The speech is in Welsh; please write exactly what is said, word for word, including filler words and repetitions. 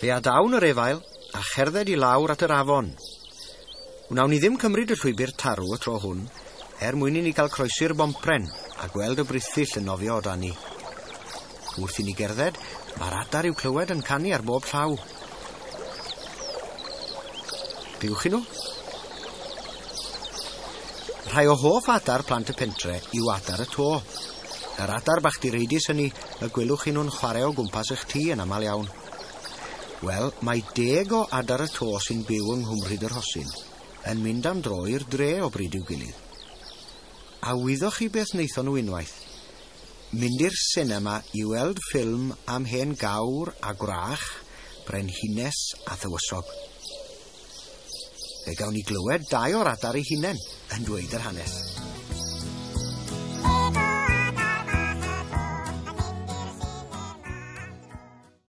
Fe adawn yr efail a cherdded i lawr at yr afon. Wnawn ni ddim cymryd y llwybr tarw y tro hwn, er mwyn i ni gael croesi'r bompren a gweld y brithyll yn nofio o dan ni. Wrth i ni gerdded, mae'r adar i'w clywed yn canu ar bob llaw. Glywch chi nhw? Rhai o hoff adar plant y pentre yw adar y to. Yr adar bach direidus hynny y gwelwch chi nhw'n chwarae o gwmpas eich tŷ yn aml iawn. Wel, mae deg o adar y to sy'n byw yng Nghwmrhyd yr Rhosyn yn mynd am dro i'r dre o bryd i'w gilydd. A wyddoch chi beth wnaethon nhw unwaith? Mynd i'r sinema i weld ffilm am hen gawr a gwrach, brenhines a thywysog. Fe gawn ni glywed dau o'r adar eu hunain yn dweud yr hanes.